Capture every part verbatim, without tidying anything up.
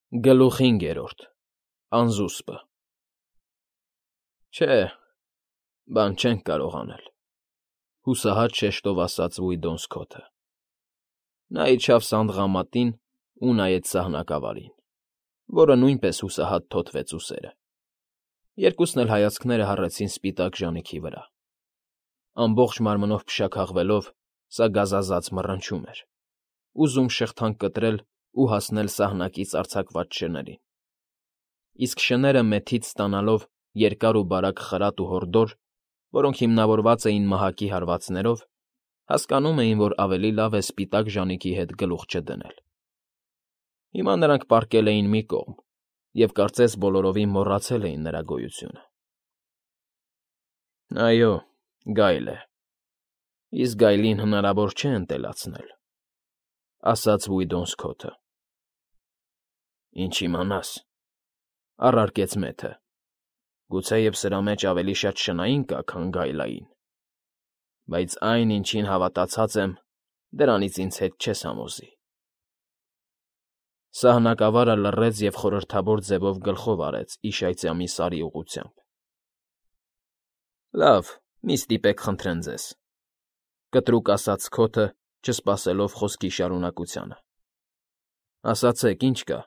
Գլուխ հինգերորդ Անզուսպը Չէ, բան չենք կարող անել,֊ հուսահատ շեշտով ասաց Վիդոմսքոթը. նա իջավ սանդղամատին ու նայեց սահնակավարին, որը նույնպես հուսահատ թոթվեց ուսերը. երկուսն էլ հայացքները հառեցին սպիտակ ժանիքի վրա. ամբողջ մարմնով փշաքաղվելով, սա գազազած մռնչում էր, ուզում շղթան կտրել ու հասնել սահնակից արձակված շներին, իսկ շները մեթից ստանալով երկար ու բարակ խրատ ու հորդոր, որոնք հիմնավորված էին մահակի հարվածներով, հասկանում էին, որ ավելի լավ է սպիտակ ժանիքի հետ գլուխ չդնել. հիմա նրանք պառկել էին մի կողմ և կարծես բոլորովին մոռացել էին նրա գոյությունը։ ֊ Այո, գայլ է, իսկ գայլին հնարավոր չէ ընտելացնել,֊ ասաց Վիդոմսքոթը։ ֊ Ինչ իմանաս,֊ առարկեց մեթը,֊ գուցեև սրա մեջ ավելի շատ շնային կա, քան գայլային, բայց այն, ինչին հավատացած եմ, դրանից ինձ հետ չես համոզի։ Սահնակավարը լռեց և խորհրդավոր ձևով գլխով արեց իշայծյամի սարի ուղղությամբ։ ֊ Լավ, մի ստիպեք խնդրեմ ձեզ,֊ կտրուկ ասաց Սքոթը, չսպասելով խոսքի շարունակությանը։ ֊ Ասացեք, ի՞նչ կա։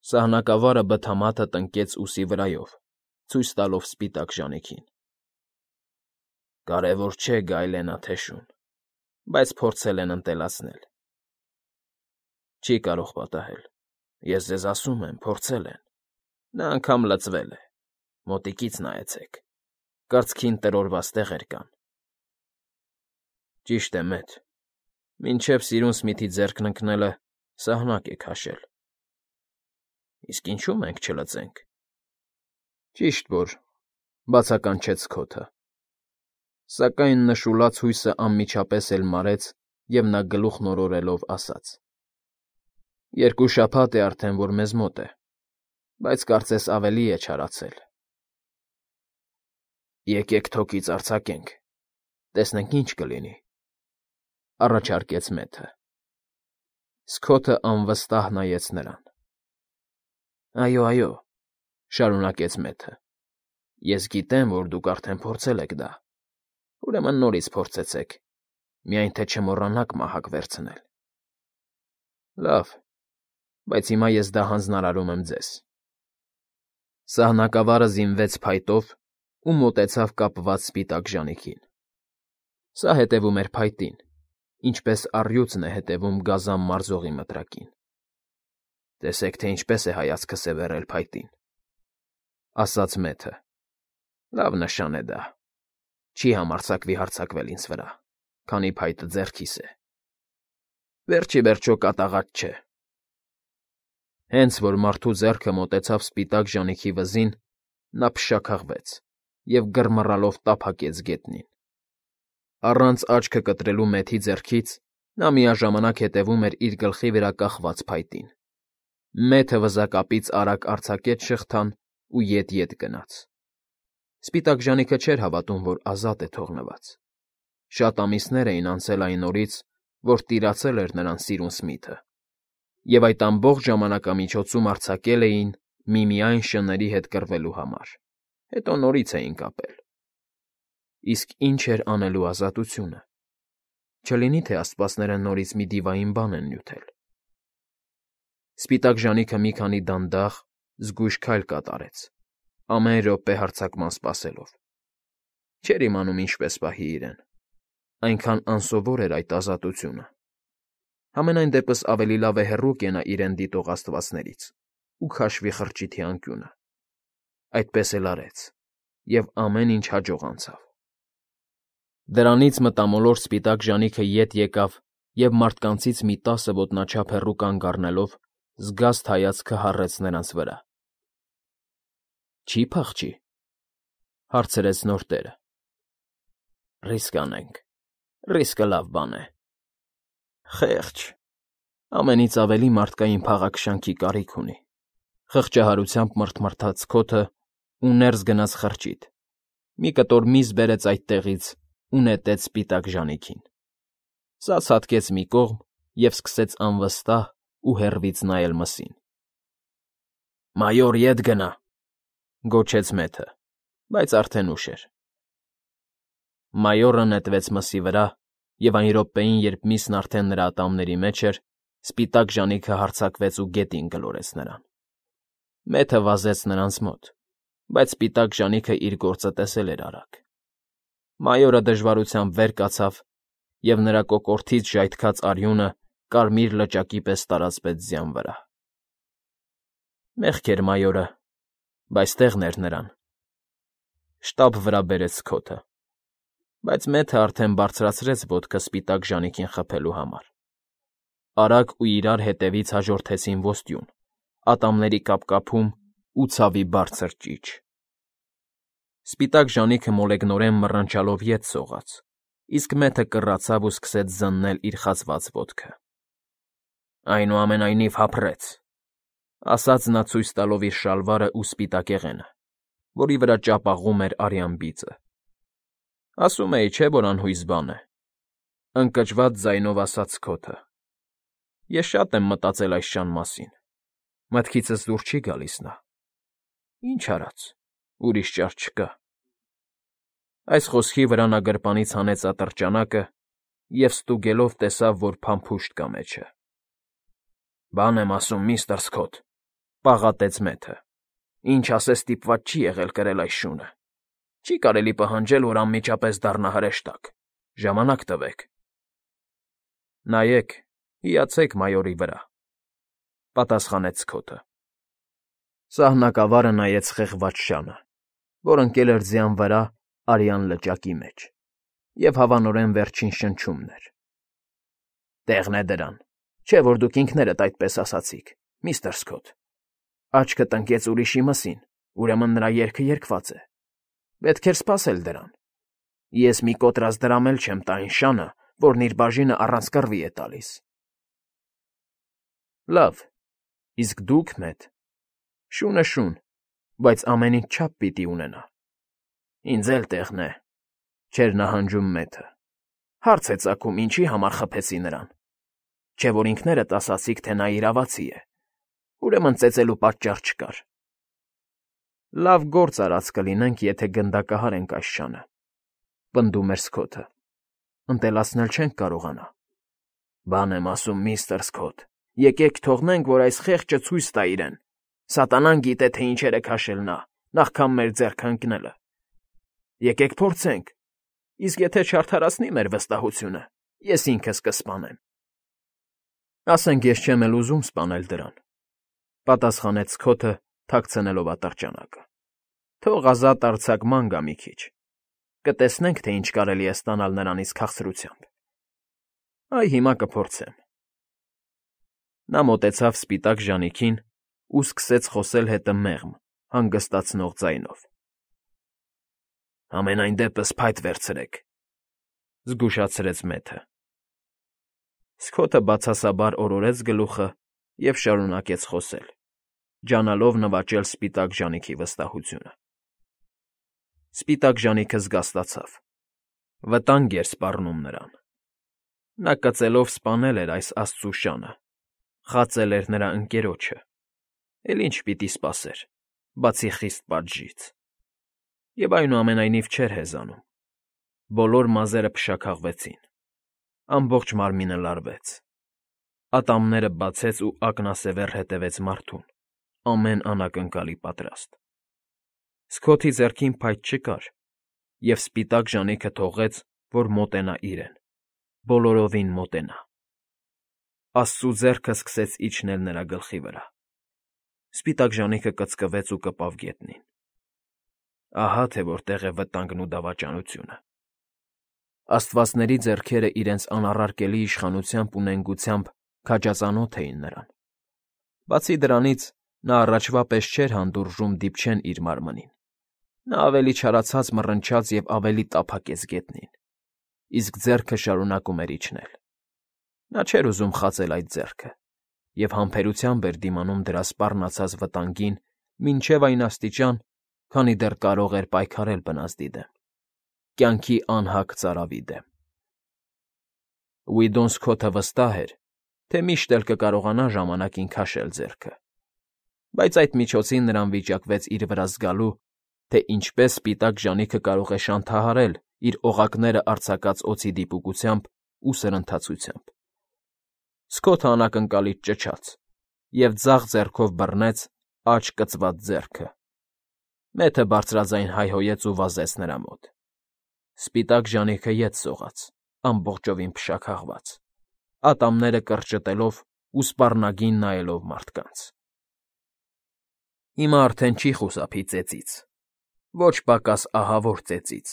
Սահնակավարը բթամաթը տնկեց ուսի վրայով, ցույց տալով սպիտակ ժանիքին։ ֊ Կարևոր չէ գայլ է նա թե շուն, բայց փորձել են ընտելացնել։ ֊ Չի կարող պատահել, ես ձեզ ասում եմ, փորձել են, նա անգամ լծվել է, մոտիկից նայեցեք, կրծքին տրորված տեղեր կան։ ֊ Ճիշտ է, մեթ, մինչև սիրուն Սմիթի ձեռքն ընկնելը սահնակ է քաշել։ ֊ Իսկ ինչու՞ մենք չլծենք։ ֊ Ճիշտ որ,֊ բացականչեց Սքոթը, սակայն նշուլաց հույսը անմիջապես էլ մարեց, և նա գլուխն օրորելով ասաց. ֊ Երկու շաբաթ է արդեն, որ մեզ մոտ է, բայց կարծես ավելի է չարացել։ ֊ Եկեք թոկից արձակենք, տեսնենք ինչ կլինի,֊ առաջարկեց մեթը։ Սքոթը անվստահ նայեց նրան։ ֊ Այո, այո,֊ շարունակեց մեթը,֊ ես գիտեմ, որ դուք արդեն փորձել եք դա, ուրեմն նորից փորձեցեք, միայն թե չմոռանաք մահակ վերցնել։ ֊ Լավ, բայց հիմա ես դա հանձնարարում եմ ձեզ։ Սահնակավարը զինվեց փայտով ու մոտեցավ կապված սպիտակ ժանիքին. սա հետևում էր փայտին, ինչպես առյուծն է հետևում գազան մարզողի մտրակին։ Տեսեք, թե ինչպես է հայացքը սևեռել փայտին,֊ ասաց մեթը։ Լավ նշան է դա, չի համարձակվի հարձակվել ինձ վրա, քանի փայտը ձեռքիս է։ Վերջ ի վերջո կատաղած չէ։ Հենց որ մարդու ձեռքը մոտեցավ սպիտակ ժանիքի վզին, նա փշաքաղվեց և գրմռալով տափակեց գետնին։ Առանց աչքը կտրելու մեթի ձեռքից նա միաժամանակ հետևում էր իր գլխի վրա կախված փայտին։ Մեթը վզակապից արագ արձակեց շղթան ու ետ֊ետ գնաց։ Սպիտակ ժանիքը չէր հավատում, որ ազատ է թողնված։ Շատ ամիսներ էին անցել այն օրից, որ տիրացել էր նրան սիրուն Սմիթը, և այդ ամբողջ ժամանակամիջոցում արձակել էին միմիայն շների հետ կռվելու համար, հետո նորից էին կապել։ Իսկ ի՞նչ էր անելու ազատությունը։ Չլինի՞ թե աստվածները նորից մի դիվային բան են նյութել։ Սպիտակ ժանիքը մի քանի դանդաղ, զգույշ քայլ կատարեց, ամեն րոպե հարձակման սպասելով։ Չէր իմանում ինչպես պահի իրեն, այնքան անսովոր էր այդ ազատությունը։ Համենայն դեպս ավելի լավ է հեռու կենա իրեն դիտող աստվածներից ու քաշվի խրճիթի անկյունը։ Այդպես էլ արեց, և ամեն ինչ հաջող անցավ։ Դրանից մտամոլորտ սպիտակ ժանիքը ետ եկավ և մարդկանցից մի տասը ոտնաչափ հեռու կանգ առնելով զգաստ հայացքը հառեց նրանց վրա։ ֊ Չի՞ փախչի,֊ հարցրեց նոր տերը։ ֊ Ռիսկ անենք, ռիսկը լավ բան է։ ֊ Խե՜ղճ, ամենից ավելի մարդկային փաղաքշանքի կարիք ունի,֊ խղճահարությամբ մռթմռթաց Սքոթը ու ներս գնաց խրճիթ, մի կտոր միս բերեց այդտեղից ու նետեց սպիտակ ժանիքին։ Սա ցատկեց մի կողմ և սկսեց անվստահ ու հեռվից նայել մսին։ Մայոր, ետ գնա, գոչեց Մեթը, բայց արդեն ուշ էր։ Մայորը նետվեց մսի վրա, և այն րոպեին, երբ միսն արդեն նրա ատամների մեջ էր, սպիտակ ժանիքը հարձակվեց ու գետին գլորեց նրան։ Մեթը վազեց նրանց մոտ, բայց սպիտակ ժանիքը իր գործը տեսել էր արագ։ Մայորը դժվարությամբ վեր կացավ, և նրա կոկորդից ժայթքած արյունը կարմիր լճակի պես տարածվեց ձյան վրա։ Մեղք էր մայորը, բայց տեղն էր նրան։ Շտապ վրա բերեց Սքոթը, բայց Մեթը արդեն բարձրացրեց ոտքը սպիտակ ժանիքին խփելու համար։ Արագ ու իրար հետևից հաջորդեցին ոստյուն, ատամների կապկապում ու ցավի բարձր ճիչ։ Սպիտակ ժանիքը մոլեգնորեն մռնչալով ետ սողաց, իսկ Մեթը կռացավ ու սկսեց զննել իր խացված ոտքը։ Այնուամենայնիվ հափռեց, ասաց նա ցույց տալով իր շալվարը ու սպիտակեղենը, որի վրա ճապաղում էր արյան բիծը։ Ասում էի, չէ՞ որ անհույս բան է,֊ ընկճված ձայնով ասաց Սքոթը։ Ես շատ եմ մտածել այս շան մասին, մտքիցս դուր չի գալիս նա։ Ինչ արած, ուրիշ ճար չկա։ Այս խոսքի վրա նա գրպանից հանեց ատրճանակը և ստուգելով տեսավ, որ փամփուշտ կա մեջը։ Բան եմ ասում, միստր Սքոթ,֊ պաղատեց Մեթը,֊ ինչ ասես ստիպված չի եղել կրել այս շունը։ Չի կարելի պահանջել, որ անմիջապես դառնա հրեշտակ։ Ժամանակ տվեք։ Նայեք, հիացեք մայորի վրա,֊ պատասխանեց Սքոթը։ Սահնակավարը նայեց խեղված շանը, որ ընկել էր ձյան վրա արյան լճակի մեջ, և հավանորեն վերջին շնչումն էր։ Տեղն է դրան, չէ՞ որ դուք ինքներդ այդպես ասացիք, միստր Սքոթ։ Աչքդ ընկեց ուրիշի մսին, ուրեմն նրա երգը երգված է։ Պետք էր սպասել դրան։ Ես մի կոտրած դրամ էլ չեմ տա այն շանը, որն իր բաժինը առանց կռվի է տալիս։ Լավ, իսկ դուք, Մեթ, շունը՝ շուն, բայց ամեն ինչ չափ պիտի ունենա։ Ինձ էլ տեղն է, չէր նահանջում Մեթը։ Հարց է ծագում, ինչի համար խփեցի նրան։ Չէ՞ որ ինքներդ ասացիք, թե նա իրավացի է, ուրեմն ծեծելու պատճառ չկար։ Լավ գործ արած կլինենք, եթե գնդակահարենք այս շանը,֊ պնդում էր Սքոթը։ Ընտելացնել չենք կարողանա։ Բան եմ ասում, միստր Սքոթ, եկեք թողնենք, որ այս խեղճը ցույց տա իրեն։ Սատանան գիտե, թե ինչեր է քաշել նա, նախքան մեր ձեռքը ընկնելը։ Եկեք փորձենք, իսկ եթե չարդարացնի մեր վստահությունը, ես ինքս կսպանեմ։ Ասենք ես չեմ էլ ուզում սպանել դրան,֊ պատասխանեց Սքոթը, թաքցնելով ատրճանակը։ Թող ազատ արձակման գա մի քիչ։ Կտեսնենք, թե ինչ կարելի է ստանալ նրանից քաղցրությամբ։ Այ հիմա կփորձեմ։ Նա մոտեցավ սպիտակ ժանիքին ու սկսեց խոսել հետը մեղմ, հանգստացնող ձայնով։ Համենայն դեպս փայտ վերցրեք,֊ զգուշացրեց Մեթը։ Սքոթը բացասաբար օրորեց գլուխը և շարունակեց խոսել, ջանալով նվաճել սպիտակ ժանիքի վստահությունը։ Սպիտակ ժանիքը զգաստացավ։ Վտանգ էր սպառնում նրան։ Նա կծելով սպանել էր այս աստծու շանը, խածել էր նրա ընկերոջը, էլ ինչ պիտի սպասեր, բացի խիստ պատժից։ Եվ այնուամենայնիվ չէր հեզանում։ Բոլոր մազերը փշաքաղվեցին, ամբողջ մարմինը լարվեց։ Ատամները բացեց ու ակնասևեռ հետևեց մարդուն, ամեն անակնկալի պատրաստ։ Սքոթի ձեռքին փայտ չկար, և սպիտակ ժանիքը թողեց, որ մոտենա իրեն, բոլորովին մոտենա։ Աստծու ձեռքը սկսեց իջնել նրա գլխի վրա։ Սպիտակ ժանիքը կծկվեց ու կպավ գետնին։ Ահա թե որտեղ է վտանգն ու դավաճանությունը։ Աստվածների ձեռքերը իրենց անառարկելի իշխանությամբ ու նենգությամբ քաջածանոթ էին նրան։ Բացի դրանից, նա առաջվա պես չէր հանդուրժում դիպչեն իր մարմնին։ Նա ավելի չարացած մռնչաց և ավելի տափակեց գետնին, իսկ ձեռքը շարունակում էր իջնել։ Նա չէր ուզում խածել այդ ձեռքը և համբերությամբ էր դիմանում դրա սպառնացած վտանգին մինչև այն աստիճան, քանի դեռ կարող էր պայքարել բնազդի դեմ, կյանքի անհագ ծարավի դեմ։ Ուիդոն Սքոթը վստահ էր, թե միշտ էլ կկարողանա ժամանակին քաշել ձեռքը։ Բայց այդ միջոցին նրան վիճակվեց իր վրա զգալու, թե ինչպես սպիտակ ժանիքը կարող է շանթահարել իր օղակները արձակած օձի դիպուկությամբ ու սրընթացությամբ։ Սքոթը անակնկալից ճչաց և ձախ ձեռքով բռնեց աջ կծված ձեռքը։ Մեթը բարձրաձայն հայհոյեց ու վազեց նրա մոտ։ Սպիտակ ժանիքը ետ սողաց, ամբողջովին փշաքաղված, ատամները կրճտելով ու սպառնագին նայելով մարդկանց։ Հիմա արդեն չի խուսափի ծեծից, ոչ պակաս ահավոր ծեծից,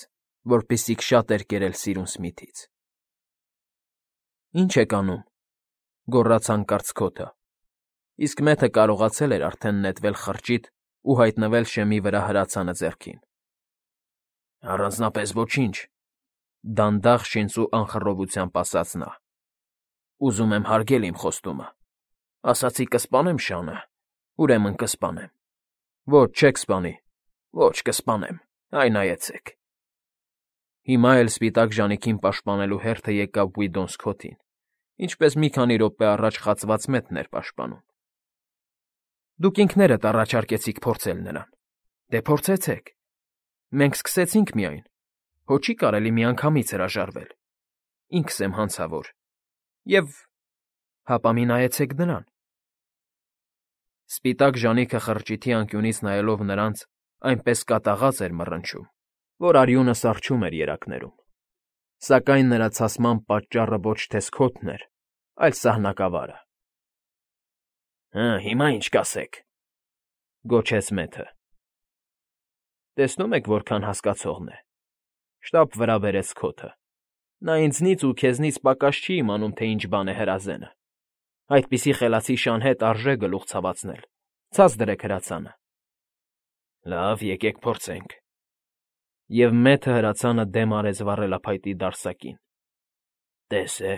որպիսիք շատ էր կերել սիրուն Սմիթից։ ֊ Ի՞նչ եք անում,֊ գոռաց հանկարծ Սքոթը, իսկ Մեթը կարողացել էր արդեն նետվել խրճիթ ու հայտնվել շեմի վրա հրացանը ձեռքին։ ֊ Առանձնապես ոչինչ,֊ դանդաղ շինծու անխռովությամբ ասաց նա։ ֊ Ուզում եմ հարգել իմ խոստումը։ Ասացի կսպանեմ շանը, ուրեմն կսպանեմ։ Ոչ, չեք սպանի, ոչ, կսպանեմ, այ նայեցեք… Հիմա էլ սպիտակ ժանիքին պաշտպանելու հերթը եկավ Վիդոն Սքոթին, ինչպես մի քանի րոպե առաջ խացված Մեթն էր պաշտպանում։ ֊ Դուք ինքներդ առաջարկեցիք փորձել նրան, դե փորձեցեք։ Մենք սկսեցինք միայն, հո չի կարելի միանգամից հրաժարվել, ինքս եմ հանցավոր, և… հապա մի նայեցեք նրան… Սպիտակ ժանիքը խրճիթի անկյունից նայելով նրանց այնպես կատաղած էր մռնչում, որ արյունը սառչում էր երակներում։ Սակայն նրա ցասման պատճառը ոչ թե Սքոթն էր, այլ սահնակավարը։ ֊ Հը, հիմա ինչ կասեք,֊ գոչեց Մեթը։ Տեսնում եք որքան հասկացողն է,֊ շտապ վրա բերեց Սքոթը։ Նա ինձնից ու քեզնից պակաս չի իմանում, թե ինչ բան է հրազենը։ Այդպիսի խելացի շան հետ արժե գլուխ ցավացնել, ցած դրեք հրացանը։ ֊ Լավ, եկեք փորձենք։ Եվ Մեթը հրացանը դեմ արեց վառելափայտի դարսակին։ ֊ Տես է,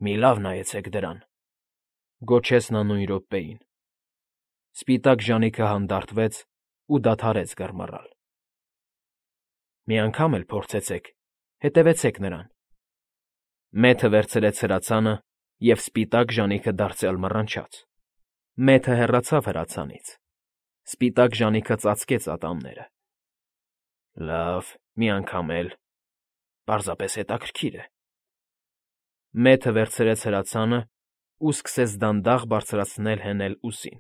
մի լավ նայեցեք դրան,֊ գոչեց նա նույն րոպեին։ Սպիտակ ժանիքը հանդարտվեց ու դադարեց գռմռալ։ ֊ Մի անգամ էլ փորձեցեք, հետևեցեք նրան։ Մեթը վերցրեց հրացանը, և սպիտակ ժանիքը դարձյալ մռնչաց։ Մեթը հեռացավ հրացանից։ Սպիտակ ժանիքը ծածկեց ատամները։ ֊ Լավ, մի անգամ էլ… պարզապես հետաքրքիր է… Մեթը վերցրեց հրացանն ու սկսեց դանդաղ բարձրացնել հենել ուսին։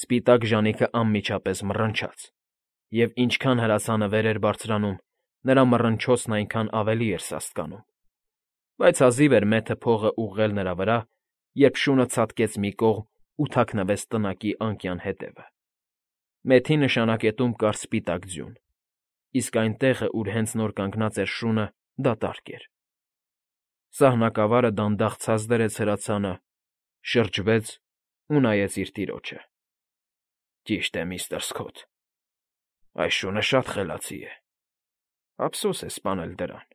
Սպիտակ ժանիքը անմիջապես մռնչաց, և ինչքան հրացանը վեր էր բարձրանում, նրա մռնչոցն այնքան ավելի էր սաստկանում։ Բայց հազիվ էր Մեթը փողը ուղղել նրա վրա, երբ շունը ցատկեց մի կողմ ու թաքնվեց տնակի անկյան ետևը։ Մեթի նշանակետում կար սպիտակ ձյուն, իսկ այն տեղը, ուր հենց նոր կանգնած էր շունը, դատարկ էր։ Սահնակավարը դանդաղ ցած դրեց հրացանը, շրջվեց ու նայեց իր տիրոջը։ ֊ Ճիշտ է, միստր Սքոթ, այս շունը շատ խելացի է, ափսոս է սպանել դրան։